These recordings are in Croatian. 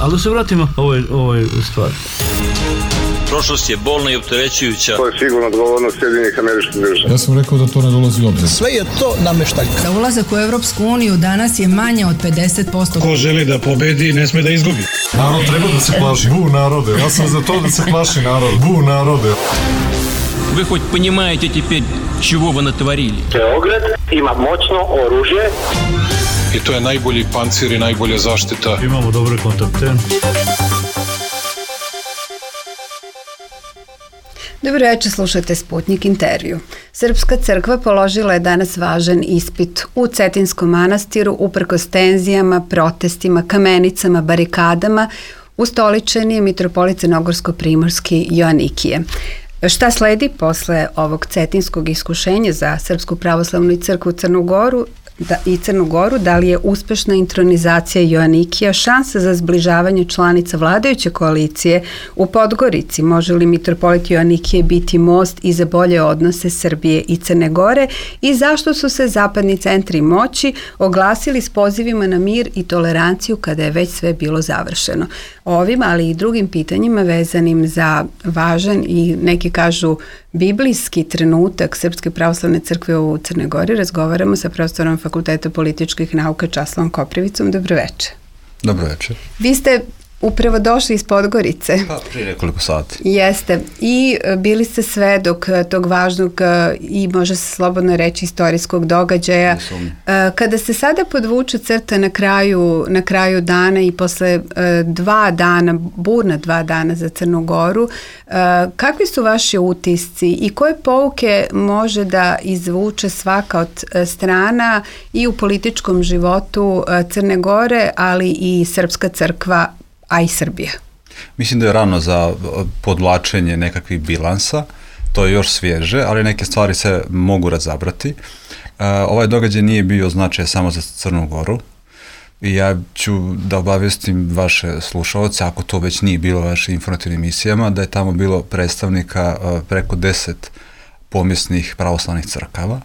Ali da se vratimo ovoj stvari. Prošlost je bolna i opterećujuća. To je sigurno odgovornost Sjedinjenih Američkih Država. Ja sam rekao da to ne dolazi u obzir. Sve je to nameštaljka. Da ulazak u Europsku uniju danas je manje od 50%. Ko želi da pobedi, ne sme da izgubi. Narod treba da se plaši. Bu narode. Ja sam za to da se plaši narod. Bu narode. Вы хоть понимаете теперь, чего вы натворили? Beograd ima moćno oružje. I to je najbolji pancir i najbolja zaštita. Imamo dobre kontakte. Dobro večer, slušate Sputnik intervju. Srpska crkva položila je danas važan ispit u Cetinskom manastiru uprkos tenzijama, protestima, kamenicama, barikadama ustoličen je mitropolit Crnogorsko-primorski Joanikije. Šta sledi posle ovog cetinskog iskušenja za Srpsku pravoslavnu crkvu Crnu Goru, da li je uspešna intronizacija Joanikija šansa za zbližavanje članica vladajuće koalicije u Podgorici? Može li mitropolit Joanikije biti most i za bolje odnose Srbije i Crne Gore? I zašto su se zapadni centri moći oglasili s pozivima na mir i toleranciju kada je već sve bilo završeno? Ovim, ali i drugim pitanjima vezanim za važan i neki kažu biblijski trenutak Srpske pravoslavne crkve u Crnoj Gori razgovaramo sa profesorom Fakulteta političkih nauka Časlavom Koprivicom. Dobro večer. Dobro večer. Vi ste upravo došli iz Podgorice. Pa, prije nekoliko sati. Jeste. I bili ste svedok tog važnog i može se slobodno reći istorijskog događaja. Kada se sada podvuče crta na kraju dana i posle burna 2 dana za Crnu Goru, kakvi su vaši utisci i koje pouke može da izvuče svaka od strana i u političkom životu Crne Gore, ali i Srpska crkva, a i Srbija? Mislim da je rano za podvlačenje nekakvih bilansa, to je još svježe, ali neke stvari se mogu razabrati. Ovaj događaj nije bio značaj samo za Crnu Goru i ja ću da obavijestim vaše slušalce, ako to već nije bilo u vašim informativnim emisijama, da je tamo bilo predstavnika preko 10 pomjesnih pravoslavnih crkava.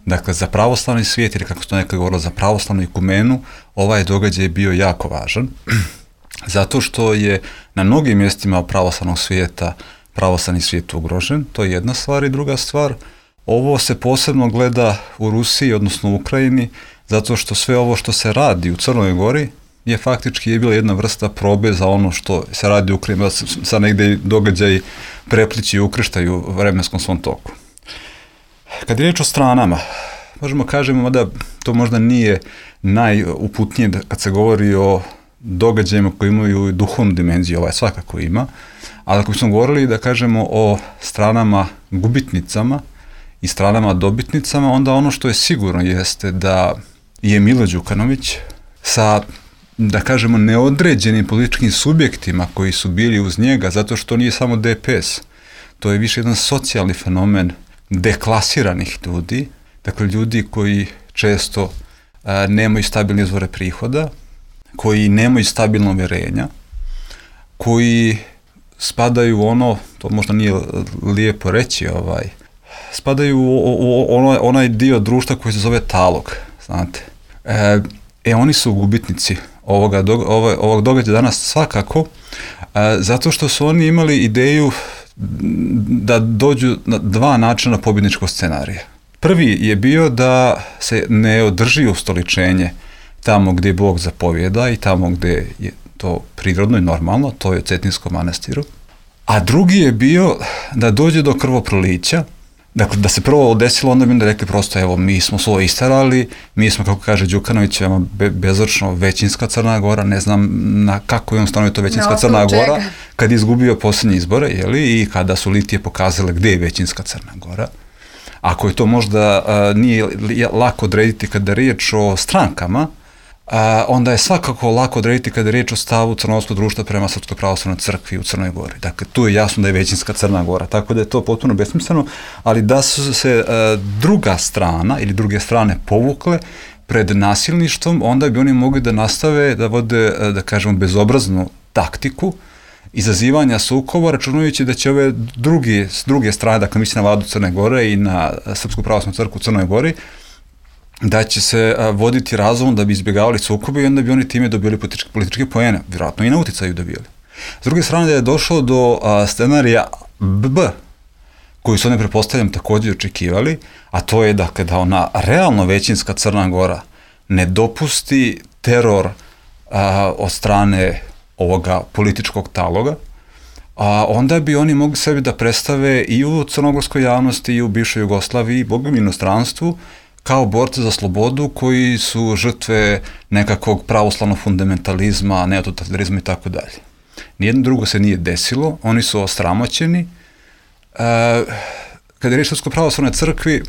Dakle, za pravoslavni svijet, ili kako se to nekada govorilo, za pravoslavnu ikumenu, ovaj događaj je bio jako važan. Zato što je na mnogim mjestima pravoslavnog svijeta pravoslavni svijet ugrožen, to je jedna stvar. I druga stvar, ovo se posebno gleda u Rusiji, odnosno u Ukrajini, zato što sve ovo što se radi u Crnoj Gori je faktički bila jedna vrsta probe za ono što se radi u Ukrajini, sa negdje događaji preplići i ukrštaju u vremenskom svom toku. Kad je riječ o stranama, možemo kažemo da to možda nije najuputnije kad se govori o događajima koji imaju duhovnu dimenziju, ovaj svakako ima, ali ako smo govorili da kažemo o stranama gubitnicama i stranama dobitnicama, onda ono što je sigurno jeste da je Milo Đukanović sa, da kažemo, neodređenim političkim subjektima koji su bili uz njega, zato što nije samo DPS, to je više jedan socijalni fenomen deklasiranih ljudi, dakle ljudi koji često nemaju stabilne izvore prihoda, koji nemaju stabilno uvjerenja, koji spadaju u ono, to možda nije lijepo reći, spadaju u onaj dio društva koji se zove talog, znate. Oni su gubitnici ovog događaja danas svakako, zato što su oni imali ideju da dođu na 2 načina pobjedničkog scenarija. Prvi je bio da se ne održi ustoličenje tamo gdje Bog zapovjeda i tamo gdje je to prirodno i normalno, to je u Cetinskom manastiru. A drugi je bio da dođe do krvoprolića, dakle da se prvo desilo, onda bi onda rekli prosto, evo, mi smo svoje istarali, mi smo, kako kaže Đukanović, bezočno većinska Crna Gora, ne znam na kako je on stanovio to većinska Crna Gora, kad je izgubio posljednje izbore, i kada su litije pokazale gdje je većinska Crna Gora. Ako je to možda nije lako odrediti kada je riječ o strankama, onda je svakako lako odrediti kada je riječ o stavu crnogorskog društva prema Srpskoj pravoslavnoj crkvi u Crnoj Gori. Dakle, tu je jasno da je većinska Crna Gora, tako da je to potpuno besmisleno, ali da su se druga strana ili druge strane povukle pred nasilništvom, onda bi oni mogli da nastave da vode, da kažemo, bezobraznu taktiku izazivanja sukoba, računajući da će ove druge strane, dakle mislim na vladu Crne Gore i na Srpsku pravoslavnu crkvu u Crnoj Gori, da će se voditi razumom da bi izbjegavali sukobe i onda bi oni time dobili političke poene, vjerojatno i na uticaju dobili. S druge strane, da je došlo do scenarija B, koji su oni, pretpostavljam, također očekivali, a to je dakle, da ona realno većinska Crna Gora ne dopusti teror od strane ovoga političkog taloga, onda bi oni mogli sebi da predstave i u crnogorskoj javnosti i u bivšoj Jugoslaviji i bogom inostranstvu kao borce za slobodu koji su žrtve nekakvog pravoslavnog fundamentalizma, neototalitarizma i tako dalje. Nijedno drugo se nije desilo, oni su osramoćeni. Kada je riječ o Srpskoj pravoslavnoj crkvi,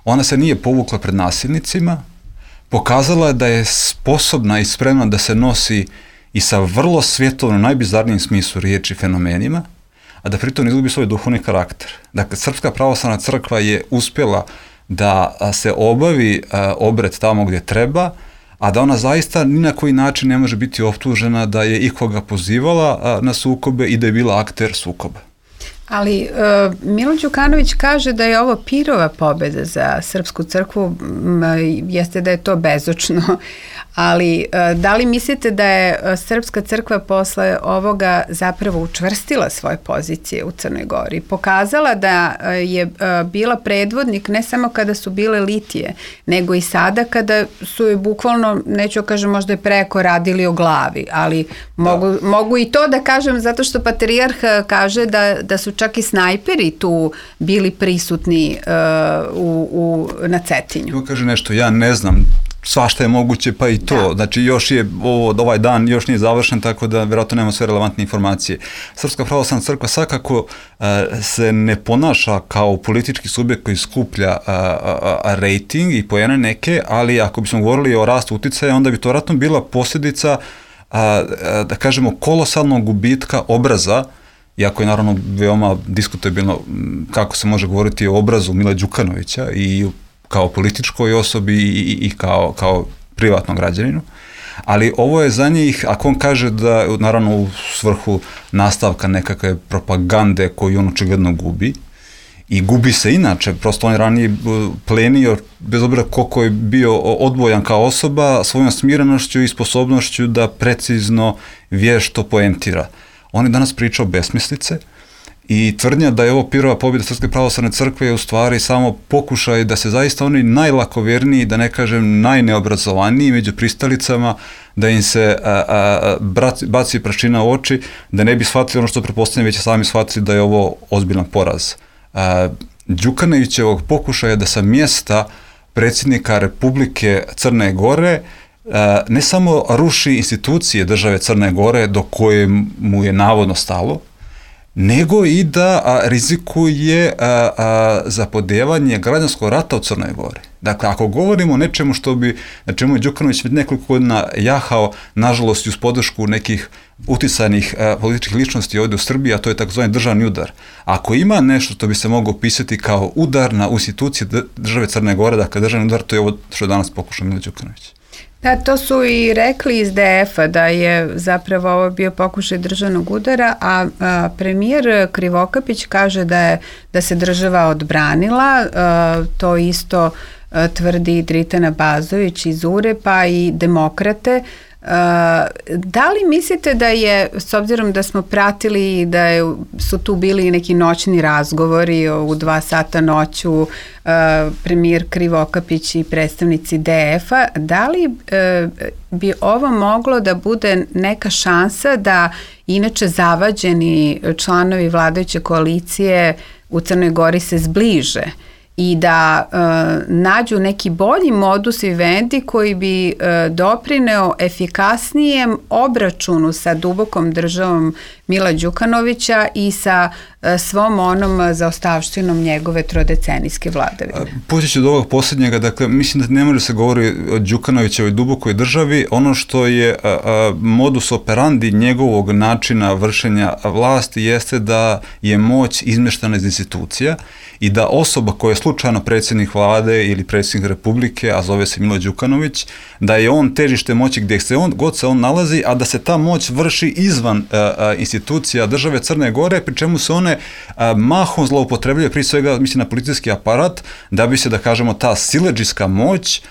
ona se nije povukla pred nasilnicima, pokazala je da je sposobna i spremna da se nosi i sa vrlo svjetovno, najbizarnijim smislu riječi fenomenima, a da pritom izgubi svoj duhovni karakter. Dakle, Srpska pravoslavna crkva je uspjela da se obavi obred tamo gdje treba, a da ona zaista ni na koji način ne može biti optužena da je ikoga pozivala na sukobe i da je bila akter sukoba. Ali Milo Đukanović kaže da je ovo pirova pobjeda za Srpsku crkvu, jeste da je to bezočno, ali da li mislite da je Srpska crkva posle ovoga zapravo učvrstila svoje pozicije u Crnoj Gori? Pokazala da je bila predvodnik ne samo kada su bile litije, nego i sada kada su je bukvalno, neću kažem možda je preko radili o glavi, ali mogu i to da kažem zato što patrijarh kaže da su čak i snajperi tu bili prisutni na Cetinju. Evo kaže nešto, ja ne znam, svašta je moguće, pa i to. Da. Znači, još je ovaj dan još nije završen, tako da vjerojatno nemamo sve relevantne informacije. Srpska pravoslavna crkva svakako se ne ponaša kao politički subjekt koji skuplja rating i poene neke, ali ako bismo govorili o rastu uticaja, onda bi to vjerojatno bila posljedica, da kažemo, kolosalnog gubitka obraza, iako je naravno veoma diskutabilno kako se može govoriti o obrazu Mila Đukanovića i kao političkoj osobi i kao privatnom građaninu, ali ovo je za njih, ako on kaže da, naravno u svrhu nastavka nekakve propagande koju on očigledno gubi, i gubi se inače, prosto on je ranije plenio, bez obzira koliko je bio odbojan kao osoba, svojom smirenošću i sposobnošću da precizno vješto poentira. On je danas pričao besmislice, i tvrdnja da je ovo pirova pobjeda Srpske pravoslavne crkve je u stvari samo pokušaj da se zaista oni najlakoverniji, da ne kažem najneobrazovaniji među pristalicama, da im se baci prašina u oči, da ne bi shvatili ono što pretpostavljam, već sami shvatili da je ovo ozbiljan poraz. Đukanovićevog pokušaja da sa mjesta predsjednika Republike Crne Gore ne samo ruši institucije države Crne Gore do koje mu je navodno stalo, nego i da rizikuje zapodevanje građanskog rata u Crnoj Gori. Dakle, ako govorimo o nečemu na čemu je Đukanović nekoliko godina jahao, nažalost uz podršku nekih uticajnih političkih ličnosti ovdje u Srbiji, a to je takozvani državni udar. Ako ima nešto što bi se moglo opisati kao udar na institucije države Crne Gore, dakle državni udar, to je ovo što je danas pokušao Milo Đukanović. Da, to su i rekli iz DF-a da je zapravo ovo bio pokušaj državnog udara, a premijer Krivokapić kaže da se država odbranila, to isto tvrdi Dritana Bazović iz URE-a i demokrate. Da li mislite da je, s obzirom da smo pratili da su tu bili neki noćni razgovori u 2 sata noću, premijer Krivokapić i predstavnici DF-a, da li bi ovo moglo da bude neka šansa da inače zavađeni članovi vladajuće koalicije u Crnoj Gori se zbliže i da nađu neki bolji modus vivendi koji bi doprineo efikasnijem obračunu sa dubokom državom Mila Đukanovića i sa svom onom zaostavštinom njegove trodecenijske vladavine. Počet ću od ovog posljednjega, dakle, mislim da ne može se govori o Đukanovićevoj dubokoj državi. Ono što je modus operandi njegovog načina vršenja vlasti jeste da je moć izmeštana iz institucija i da osoba koja je slučajno predsjednik vlade ili predsjednik republike, a zove se Milo Đukanović, da je on težište moći gdje god se on nalazi, a da se ta moć vrši izvan institucija države Crne Gore, pri čemu se one mahom zloupotrebljaju, prije svega mislim na policijski aparat, da bi se, da kažemo, ta siledžijska moć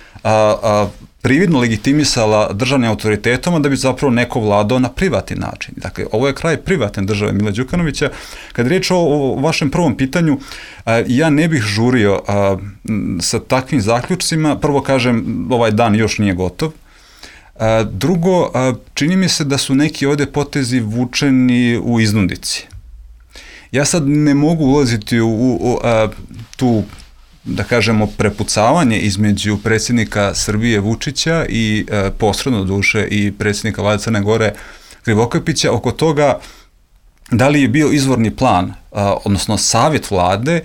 prividno legitimisala državnim autoritetom, da bi zapravo neko vladao na privatni način. Dakle, ovo je kraj privatne države Mila Đukanovića. Kad je riječ o vašem prvom pitanju, ja ne bih žurio sa takvim zaključcima. Prvo kažem, ovaj dan još nije gotov. Drugo, čini mi se da su neki ovdje potezi vučeni u iznundici. Ja sad ne mogu ulaziti u tu, da kažemo, prepucavanje između predsjednika Srbije Vučića i posredno duše i predsjednika Vlade Crne Gore Krivokapića oko toga da li je bio izvorni plan, odnosno savjet vlade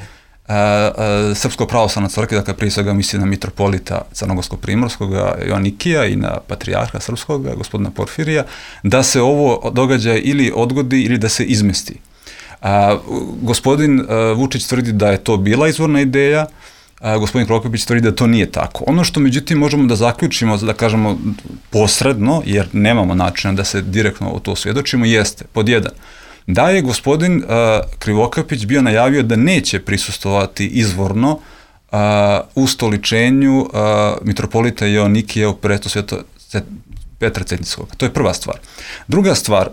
Srpskog pravoslavne crkve, dakle prije svega misli na mitropolita Crnogorsko-primorskog Joanikija i na patrijarha srpskog, gospodina Porfirija, da se ovo događaj ili odgodi ili da se izmesti. Gospodin Vučić tvrdi da je to bila izvorna ideja, gospodin Krivokapić tvrdi da to nije tako. Ono što međutim možemo da zaključimo, da kažemo posredno, jer nemamo načina da se direktno o to svjedočimo, jeste, pod jedan, da je gospodin Krivokapić bio najavio da neće prisustvovati izvorno ustoličenju mitropolita Joanikija u prestu Petra Cetinjskog. To je prva stvar. Druga stvar,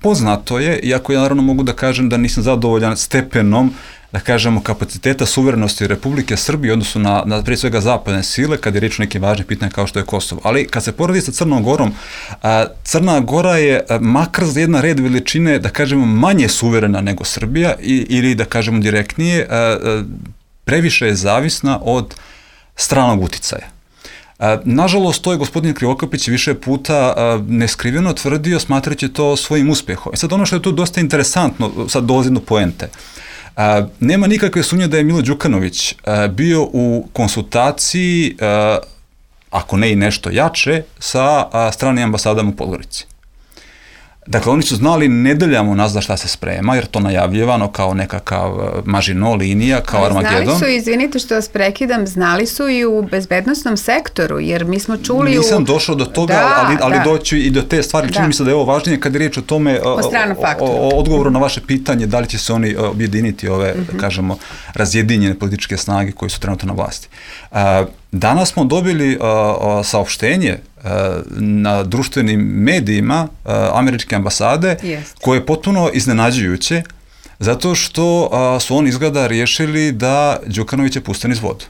poznato je, iako ja naravno mogu da kažem da nisam zadovoljan stepenom, da kažemo, kapaciteta suverenosti Republike Srbije, odnosno na prije svega zapadne sile, kad je riječ o nekim važnim pitanjima kao što je Kosovo. Ali kad se poredi sa Crnom Gorom, Crna Gora je makar za jedan red veličine, da kažemo, manje suverena nego Srbija ili, da kažemo direktnije, previše je zavisna od stranog uticaja. Nažalost, to je gospodin Krivokapić više puta neskriveno tvrdio, smatrajući to svojim uspjehom. Sad ono što je tu dosta interesantno, sad dolazi do poente. Nema nikakve sumnje da je Milo Đukanović bio u konsultaciji, ako ne i nešto jače, sa stranim ambasadama u Podgorici. Dakle, oni su znali nedeljama nazad šta se sprema, jer to najavljivano kao nekakav Maginot linija, kao Armagedon. Znali su, izvinite što vas prekidam, znali su i u bezbednosnom sektoru, jer mi smo čuli Nisam došao do toga, ali doći i do te stvari. Čini mi se da je ovo važnije kad je riječ o tome, o odgovoru na vaše pitanje, da li će se oni objediniti ove, kažemo, razjedinjene političke snage koje su trenutno na vlasti. Danas smo dobili saopštenje na društvenim medijima američke ambasade, koje je potpuno iznenađujuće, zato što su oni izgleda riješili da Đukanovića puste niz vodu.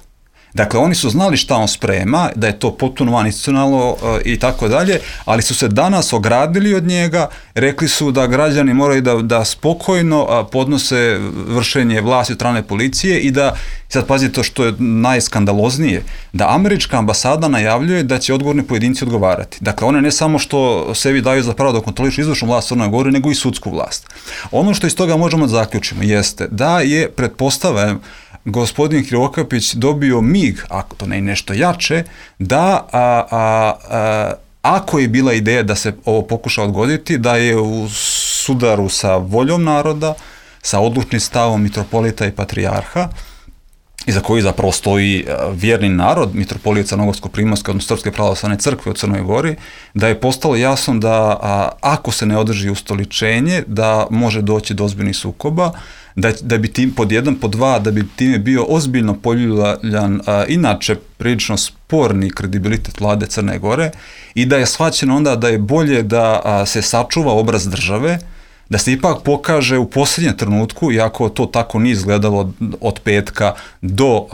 Dakle, oni su znali šta on sprema, da je to potpuno vaninstitucionalno i tako dalje, ali su se danas ogradili od njega, rekli su da građani moraju da spokojno podnose vršenje vlasti od strane policije i da, sad pazite to što je najskandaloznije, da američka ambasada najavljuje da će odgovorni pojedinci odgovarati. Dakle, one ne samo što sebi daju za pravo da kontrolišu izvršnu vlast Crne Gore, nego i sudsku vlast. Ono što iz toga možemo da zaključimo jeste da je, pretpostavljam, gospodin Krivokapić dobio mig, ako to ne je nešto jače, da ako je bila ideja da se ovo pokuša odgoditi, da je u sudaru sa voljom naroda, sa odlučnim stavom mitropolita i patrijarha, iza koji zapravo stoji vjerni narod, mitropolita Crnogorsko-primorske, odnosno Srpske pravoslavne crkve u Crnoj Gori, da je postalo jasno da ako se ne održi ustoličenje, da može doći do ozbiljnih sukoba, da bi tim, pod jedan, pod dva, da bi time bio ozbiljno poljuljan inače prilično sporni kredibilitet vlade Crne Gore i da je shvaćeno onda da je bolje da se sačuva obraz države, da se ipak pokaže u posljednjem trenutku, iako to tako nije izgledalo od petka do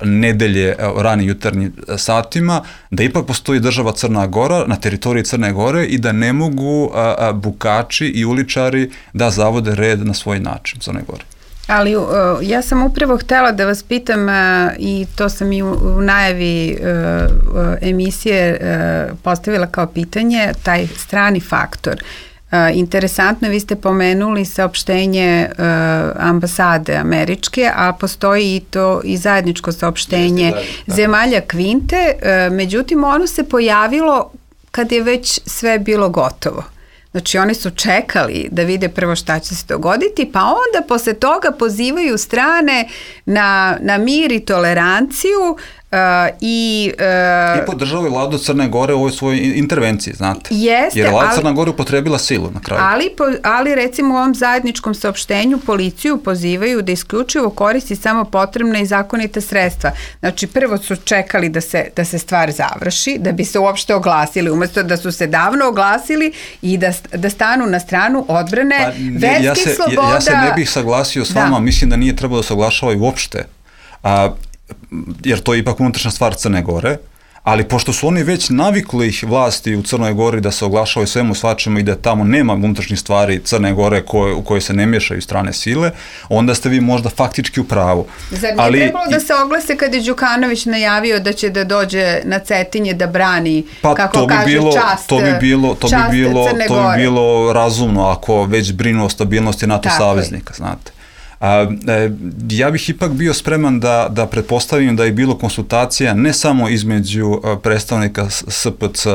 nedelje ranim jutarnjim satima, da ipak postoji država Crna Gora na teritoriji Crne Gore i da ne mogu bukači i uličari da zavode red na svoj način Crne Gore. Ali ja sam upravo htjela da vas pitam i to sam i u najavi emisije postavila kao pitanje, taj strani faktor. Interesantno, vi ste pomenuli saopštenje ambasade američke, a postoji i to i zajedničko saopštenje zemalja Kvinte, međutim ono se pojavilo kad je već sve bilo gotovo. Znači oni su čekali da vide prvo šta će se dogoditi, pa onda posle toga pozivaju strane na mir i toleranciju i podržava i vladu Crne Gore u ovoj svojoj intervenciji, znate. Jeste, jer vlada Crna Gore upotrebila silu na kraju. Ali recimo u ovom zajedničkom saopštenju policiju pozivaju da isključivo koristi samo potrebna i zakonita sredstva. Znači prvo su čekali da se stvar završi, da bi se uopšte oglasili, umjesto da su se davno oglasili i da stanu na stranu odbrane verskih sloboda. Ja se ne bih saglasio s vama, mislim da nije trebalo da se oglašavaju uopšte. Jer to je ipak unutrašnja stvar Crne Gore, ali pošto su oni već navikli vlasti u Crnoj Gori da se oglašavaju svemu svačemu i da tamo nema unutrašnjih stvari Crne Gore u kojoj se ne miješaju strane sile, onda ste vi možda faktički u pravu. Zar nije trebalo da se oglase kad je Đukanović najavio da će da dođe na Cetinje da brani, kako kaže, čast Crne Gore? To bi bilo razumno ako već brinu o stabilnosti NATO saveznika, znate. Ja bih ipak bio spreman da pretpostavim da je bilo konsultacija ne samo između predstavnika SPC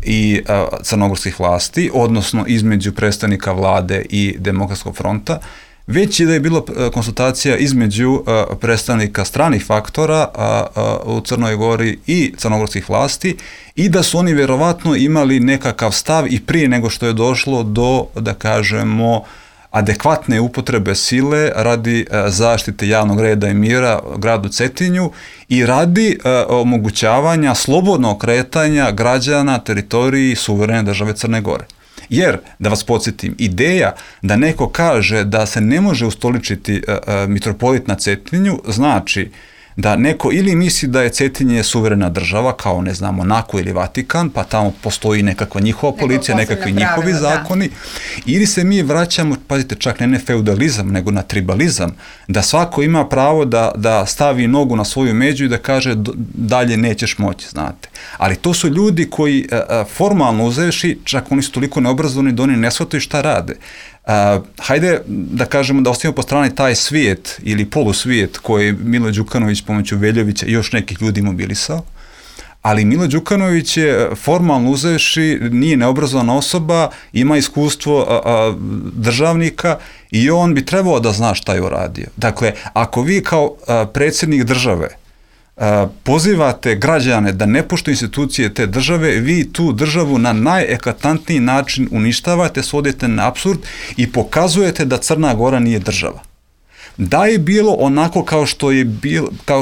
i crnogorskih vlasti, odnosno između predstavnika vlade i Demokratskog fronta, već i da je bilo konsultacija između predstavnika stranih faktora u Crnoj Gori i crnogorskih vlasti i da su oni vjerovatno imali nekakav stav i prije nego što je došlo do, da kažemo, adekvatne upotrebe sile radi zaštite javnog reda i mira gradu Cetinju i radi omogućavanja slobodnog kretanja građana teritoriji suverene države Crne Gore. Jer, da vas podsjetim, ideja da neko kaže da se ne može ustoličiti mitropolit na Cetinju znači da neko ili misli da je Cetinje suverena država, kao ne znam, Monako ili Vatikan, pa tamo postoji nekakva njihova policija, nekakvi njihovi zakoni, ili se mi vraćamo, pazite, čak ne feudalizam, nego na tribalizam, da svako ima pravo da stavi nogu na svoju među i da kaže dalje nećeš moći, znate. Ali to su ljudi koji formalno uzevši, čak oni su toliko neobrazovani da oni ne shvataju šta rade. Hajde da kažemo da ostavimo po strani taj svijet ili polusvijet koji je Milo Đukanović pomoću Veljovića i još nekih ljudi mobilisao, ali Milo Đukanović je formalno uzevši, nije neobrazovana osoba, ima iskustvo državnika i on bi trebao da zna šta je uradio. Dakle, ako vi kao predsjednik države pozivate građane da ne poštuju institucije te države, vi tu državu na najeklatantniji način uništavate, svodite na apsurd i pokazujete da Crna Gora nije država. Da je bilo onako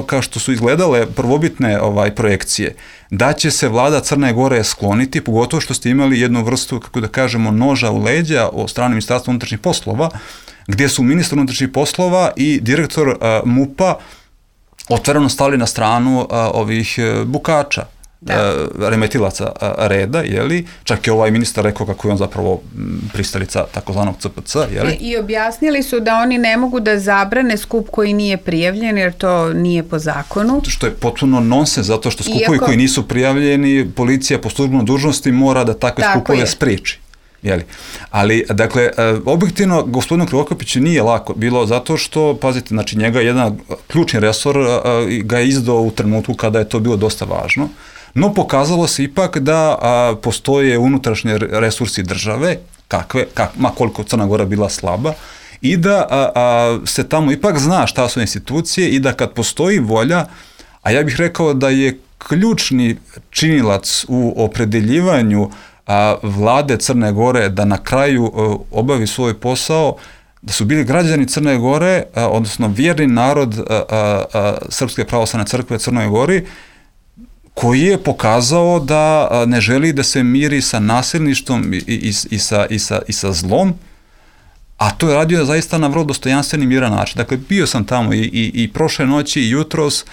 kao što su izgledale prvobitne projekcije, da će se vlada Crne Gore skloniti, pogotovo što ste imali jednu vrstu, kako da kažemo, noža u leđa od strane Ministarstva unutrašnjih poslova, gdje su ministar unutrašnjih poslova i direktor MUP-a otvoreno stali na stranu ovih bukača, remetilaca reda, jeli? Čak je ovaj ministar rekao kako je on zapravo pristalica takozvanog CPC, jeli? I objasnili su da oni ne mogu da zabrane skup koji nije prijavljen, jer to nije po zakonu. Što je potpuno nonsens, zato što skupovi koji nisu prijavljeni, policija po službenoj dužnosti mora da takve skupove spriječi. Jeli. Ali, dakle, objektivno, gospodinu Krivokapiću nije lako bilo zato što, pazite, znači njega jedan ključni resor ga je izdao u trenutku kada je to bilo dosta važno, no pokazalo se ipak da postoje unutrašnje resursi države, ma koliko Crna Gora bila slaba, i da se tamo ipak zna šta su institucije i da kad postoji volja, a ja bih rekao da je ključni činilac u opredeljivanju vlade Crne Gore da na kraju obavi svoj posao, da su bili građani Crne Gore, odnosno vjerni narod Srpske pravoslavne crkve Crnoj Gori, koji je pokazao da ne želi da se miri sa nasilništvom i sa zlom, a to je radio zaista na vrlo dostojanstven i miran način. Dakle, bio sam tamo i prošle noći i jutros,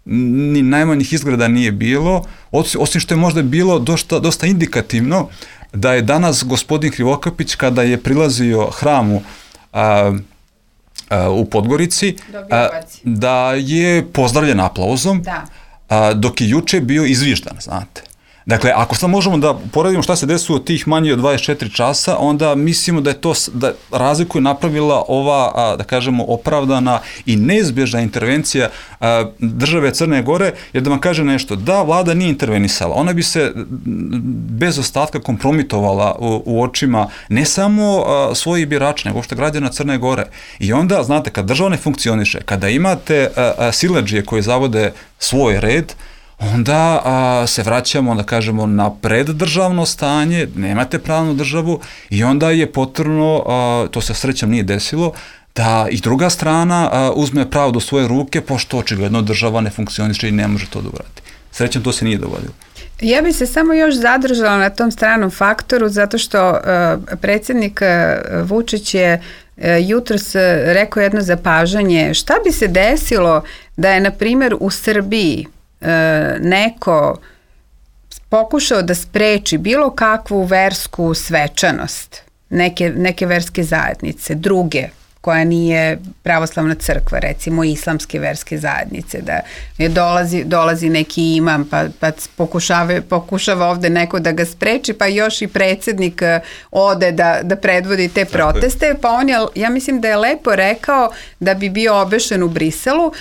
ni najmanjih izgleda nije bilo, osim što je možda bilo dosta indikativno da je danas gospodin Krivokapić, kada je prilazio hramu u Podgorici, da je pozdravljen aplauzom, dok je juče bio izviždan, znate. Dakle, ako sad možemo da poredimo šta se desilo tih manje od 24 časa, onda mislimo da je to, da razliku je napravila ova, da kažemo, opravdana i neizbježna intervencija države Crne Gore, jer da vam kaže nešto, da vlada nije intervenisala, ona bi se bez ostatka kompromitovala u očima ne samo svojih birača, nego uopšte građana Crne Gore. I onda, znate, kad država ne funkcioniše, kada imate siledžije koji zavode svoj red, onda se vraćamo, da kažemo, na preddržavno stanje, nemate pravnu državu i onda je potrebno, to se srećom nije desilo, da i druga strana uzme pravo do svoje ruke, pošto očigledno država ne funkcioniše i ne može to da uradi. Srećom to se nije dogodilo. Ja bi se samo još zadržala na tom stranom faktoru, zato što predsjednik Vučić je jutros rekao jedno zapažanje. Šta bi se desilo da je, na primjer, u Srbiji neko pokušao da spreči bilo kakvu versku svečanost neke verske zajednice, druge, koja nije pravoslavna crkva, recimo islamske verske zajednice, da je dolazi neki imam pa pokušava ovde neko da ga spreči, pa još i predsjednik ode da predvodi te proteste, pa on je, ja mislim da je lepo rekao da bi bio obešen u Briselu.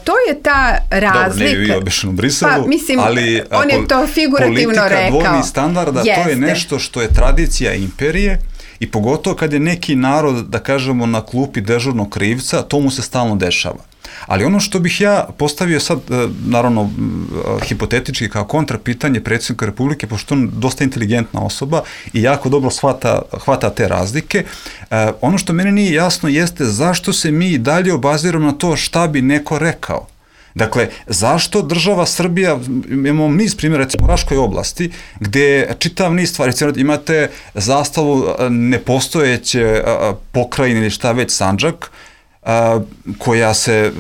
To je ta razlika. Dobro, nije bio obešen u Briselu, pa, mislim, ali on je to figurativno rekao. Politika dvojnih standarda, to je nešto što je tradicija imperije i pogotovo kad je neki narod, da kažemo, na klupi dežurnog krivca, to mu se stalno dešava. Ali ono što bih ja postavio sad, naravno, hipotetički kao kontrapitanje predsjednika Republike, pošto on dosta inteligentna osoba i jako dobro hvata te razlike, ono što meni nije jasno jeste zašto se mi dalje obaziramo na to šta bi neko rekao. Dakle, zašto država Srbija, imamo niz primjera, recimo u Raškoj oblasti, gdje čitav niz stvari, imate zastavu nepostojeće pokrajine ili šta već, Sandžak, koja se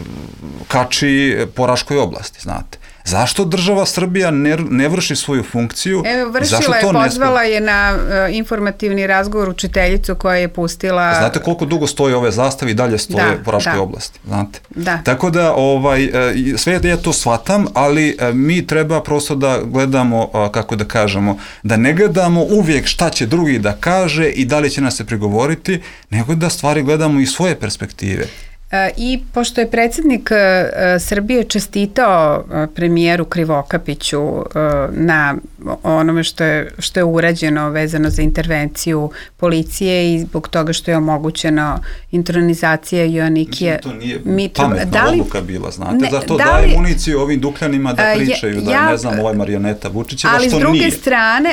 kači po Raškoj oblasti, znate. Zašto država Srbija ne vrši svoju funkciju? Evo, vršila je, pozvala je na informativni razgovor učiteljicu koja je pustila... Znate koliko dugo stoje ove zastave i dalje stoje po Raškoj oblasti, znate? Da. Tako da, sve da ja to shvatam, ali mi treba prosto da gledamo, kako da kažemo, da ne gledamo uvijek šta će drugi da kaže i da li će nas se prigovoriti, nego da stvari gledamo iz svoje perspektive. I pošto je predsjednik Srbije čestitao premijeru Krivokapiću na onome što je urađeno vezano za intervenciju policije i zbog toga što je omogućeno intronizacija Joannikija. Mislim, to nije pametna odluka bila, znate, zato daje municiju ovim dukljanima da pričaju, da je, ne znam, ovaj marioneta Vučićeva, što nije.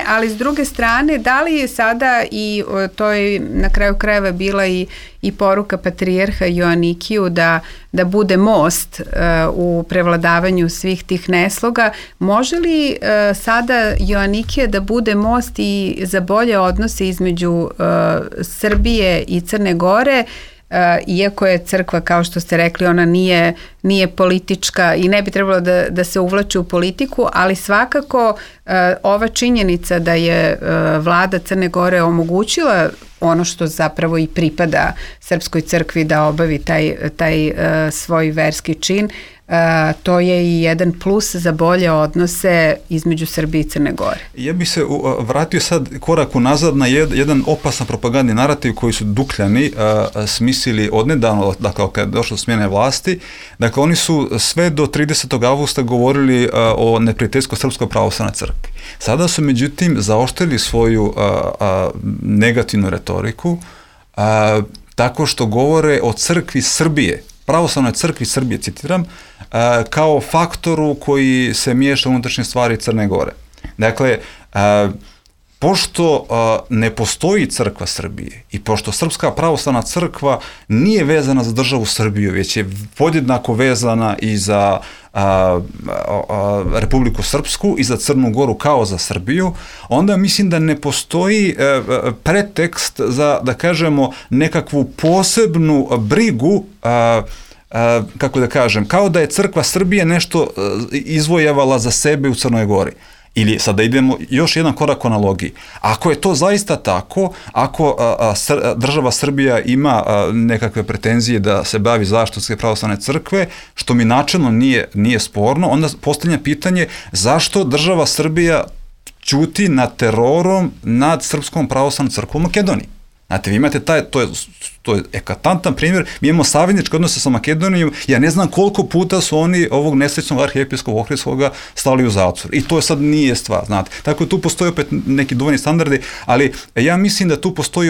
Ali s druge strane, da li je sada, i to je na kraju krajeva bila i poruka patrijarha Joannikiju da bude most u prevladavanju svih tih nesloga, može li sada Joannikija da bude most i za bolje odnose između Srbije i Crne Gore, iako je crkva, kao što ste rekli, ona nije politička i ne bi trebalo da se uvlači u politiku, ali svakako ova činjenica da je vlada Crne Gore omogućila ono što zapravo i pripada Srpskoj crkvi da obavi taj svoj verski čin, to je i jedan plus za bolje odnose između Srbije i Crne Gore. Ja bih se vratio sad korak unazad na jedan opasan propagandni narativ koji su Dukljani smislili odnedavno, dakle kad je došlo do smjene vlasti. Dakle, oni su sve do 30. avgusta govorili o neprijateljskoj Srpskoj pravoslavnoj crkvi. Sada su međutim zaoštrili svoju negativnu retoriku tako što govore o crkvi Srbije, pravoslavnoj crkvi Srbije, citiram, kao faktoru koji se miješa u unutrašnje stvari Crne Gore. Dakle, pošto ne postoji crkva Srbije i pošto Srpska pravoslavna crkva nije vezana za državu Srbiju, već je podjednako vezana i za Republiku Srpsku i za Crnu Goru kao za Srbiju, onda mislim da ne postoji pretekst za, da kažemo, nekakvu posebnu brigu, kako da kažem, kao da je crkva Srbije nešto izvojevala za sebe u Crnoj Gori. Ili sada idemo još jedan korak u analogiji. Ako je to zaista tako, ako država Srbija ima nekakve pretenzije da se bavi zaštitom Srpske pravoslavne crkve, što mi načelno nije sporno, onda postavlja pitanje zašto država Srbija ćuti nad terorom nad Srpskom pravoslavnom crkvom u Makedoniji. Znate, vi imate to je eklatantan primjer, mi imamo savezničke odnose sa Makedonijom, ja ne znam koliko puta su oni ovog nesrećnog arhijepiskopa Ohridskoga stali u zatvor. I to sad nije stvar, znate. Tako da tu postoji opet neki dvojni standardi, ali ja mislim da tu postoji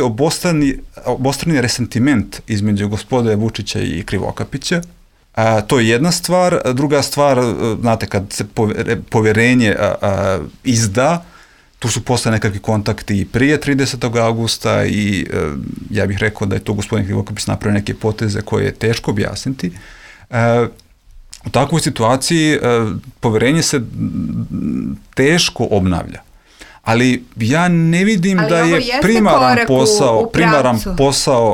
obostrani resentiment između gospode Vučića i Krivokapića. To je jedna stvar. Druga stvar, znate, kad se poverenje izda, tu su posle nekakvi kontakti i prije 30. augusta i ja bih rekao da je to gospodin Krivokapić napravio neke poteze koje je teško objasniti. U takvoj situaciji poverenje se teško obnavlja. Ali ja ne vidim da je primaran posao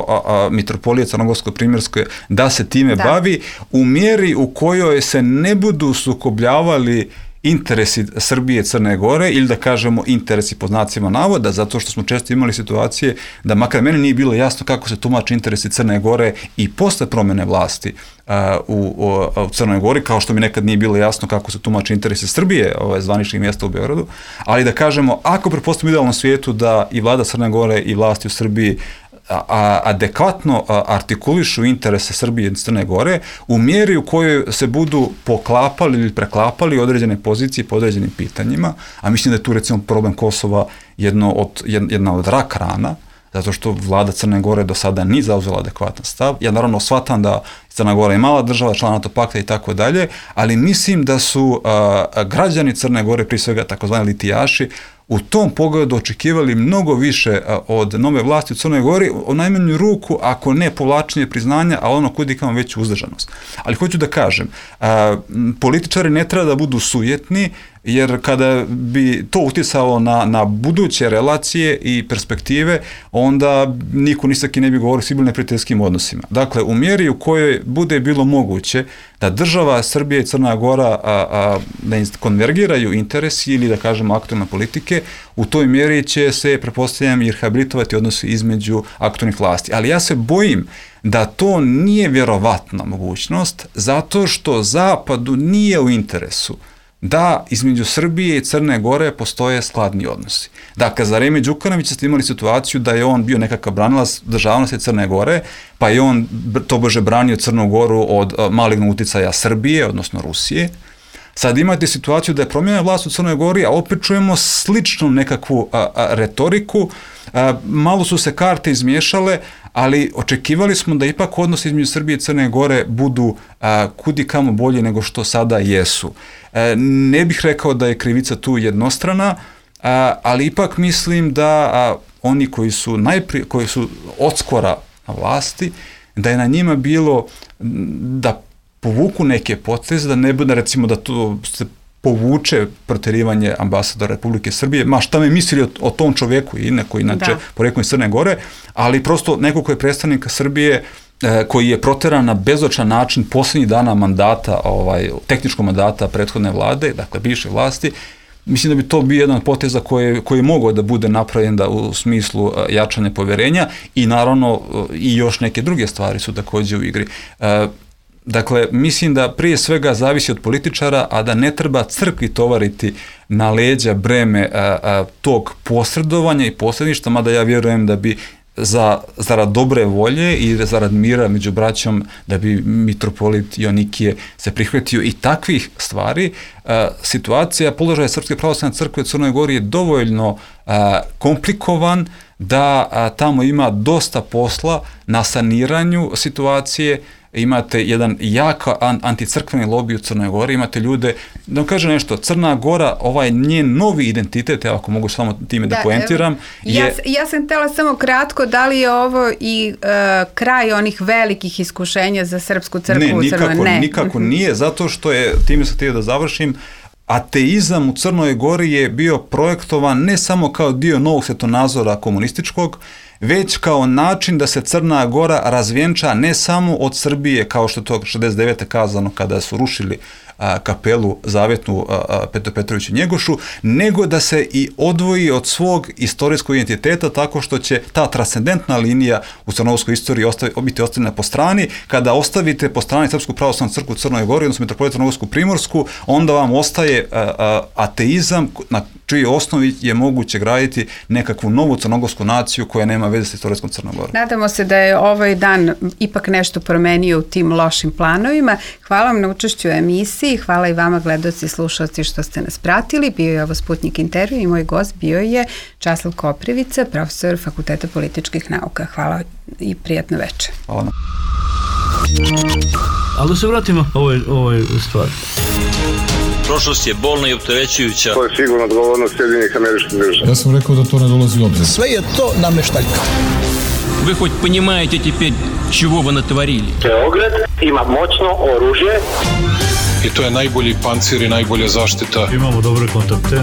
mitropolije Crnogorsko-primjerske da se time bavi u mjeri u kojoj se ne budu sukobljavali interesi Srbije, Crne Gore ili da kažemo interesi pod znacima navoda, zato što smo često imali situacije da makar meni nije bilo jasno kako se tumače interesi Crne Gore i posle promjene vlasti u Crnoj Gori, kao što mi nekad nije bilo jasno kako se tumače interesi Srbije, zvaničnih mjesta u Beogradu, ali da kažemo, ako pretpostavimo u idealnom svijetu da i vlada Crne Gore i vlasti u Srbiji adekvatno artikulišu interese Srbije i Crne Gore u mjeri u kojoj se budu poklapali ili preklapali određene pozicije po određenim pitanjima, a mislim da je tu recimo problem Kosova jedna od rak rana, zato što vlada Crne Gore do sada nije zauzela adekvatan stav. Ja naravno shvatam da Crna Gora je mala država, član NATO pakta i tako dalje, ali mislim da su građani Crne Gore, prije svega takozvani litijaši, u tom pogledu očekivali mnogo više od nove vlasti u Crnoj Gori, u najmanju ruku, ako ne povlačenje priznanja, a ono kudikamo veću uzdržanost. Ali hoću da kažem, političari ne treba da budu sujetni, jer kada bi to uticalo na buduće relacije i perspektive, onda niko ni sa kim ne bi govorio o sigurno neprijateljskim odnosima. Dakle, u mjeri u kojoj bude bilo moguće da država Srbije i Crna Gora da konvergiraju interesi ili da kažemo aktualne politike, u toj mjeri će se, pretpostavljam, i rehabilitovati odnosi između aktualnih vlasti. Ali ja se bojim da to nije vjerovatna mogućnost, zato što Zapadu nije u interesu da između Srbije i Crne Gore postoje skladni odnosi. Dakle, za vreme Đukanovića ste imali situaciju da je on bio nekakav branilac državnosti Crne Gore, pa je on tobože branio Crnu Goru od malignog uticaja Srbije, odnosno Rusije. Sad imate situaciju da je promijenjena vlast u Crnoj Gori, a opet čujemo sličnu nekakvu retoriku. Malo su se karte izmiješale, ali očekivali smo da ipak odnosi između Srbije i Crne Gore budu kudikamo bolje nego što sada jesu. Ne bih rekao da je krivica tu jednostrana, ali ipak mislim da oni koji su odskora na vlasti, da je na njima bilo da povuku neke poteze, da ne bude recimo da to se povuče protjerivanje ambasadora Republike Srbije, ma šta me mislili o tom čovjeku i neko inače poreklom iz Crne Gore, ali prosto neko koji je predstavnik Srbije koji je proteran na bezočan način posljednjih dana mandata, tehničkog mandata prethodne vlade, dakle bivše vlasti, mislim da bi to bio jedan od poteza koji je mogao da bude napravljen u smislu jačanja poverenja i naravno i još neke druge stvari su također u igri. Dakle, mislim da prije svega zavisi od političara, a da ne treba crkvi tovariti na leđa breme tog posredovanja i posredništva, mada ja vjerujem da bi zarad dobre volje i zarad mira među braćom, da bi mitropolit Joanikije se prihvatio i takvih stvari. Situacija položaja Srpske pravoslavne crkve u Crnoj Gori je dovoljno komplikovan da tamo ima dosta posla na saniranju situacije. Imate jedan jak anticrkveni lobby u Crnoj Gori, imate ljude, da vam kažem nešto, Crna Gora, ovaj njen novi identitet, ako mogu samo time da poentiram. Ja sam htjela samo kratko, da li je ovo i kraj onih velikih iskušenja za Srpsku crkvu u Crnoj Gori? Ne, nikako nije, zato što je, time sam htio da završim, ateizam u Crnoj Gori je bio projektovan ne samo kao dio novog svjetonazora komunističkog, već kao način da se Crna Gora razvjenča ne samo od Srbije, kao što je to 69. kazano kada su rušili kapelu zavjetnu Petru Petroviću Njegošu, nego da se i odvoji od svog istorijskog identiteta tako što će ta transcendentna linija u crnogorskoj istoriji biti ostavljena po strani. Kada ostavite po strani Srpsku pravoslavnu crkvu u Crnoj Gori, odnosno Mitropoliju Crnogorsku Primorsku, onda vam ostaje ateizam na čiji osnovi je moguće graditi nekakvu novu crnogorsku naciju koja nema veze s istorijskom Crnom Gorom. Nadamo se da je ovaj dan ipak nešto promenio u tim lošim planovima. Hvala vam na učešću u emisiji, hvala i vama gledaoci i slušalci što ste nas pratili. Bio je ovo Sputnik intervju i moj gost bio je Časlav Koprivica, profesor Fakulteta političkih nauka. Hvala i prijatno večer. Hvala. Ali da se vratimo ovoj stvari. Prošlost je bolna i opterećujuća. To je sigurno odgovornost Sjedinjenih Američkih Država. Ja sam rekao da to ne dolazi u obzir. Sve je to nameštaljka. Вы хоть понимаете теперь, чего вы натворили? Beograd ima moćno oružje. I to je najbolji pancir i najbolja zaštita. Imamo dobre kontakte.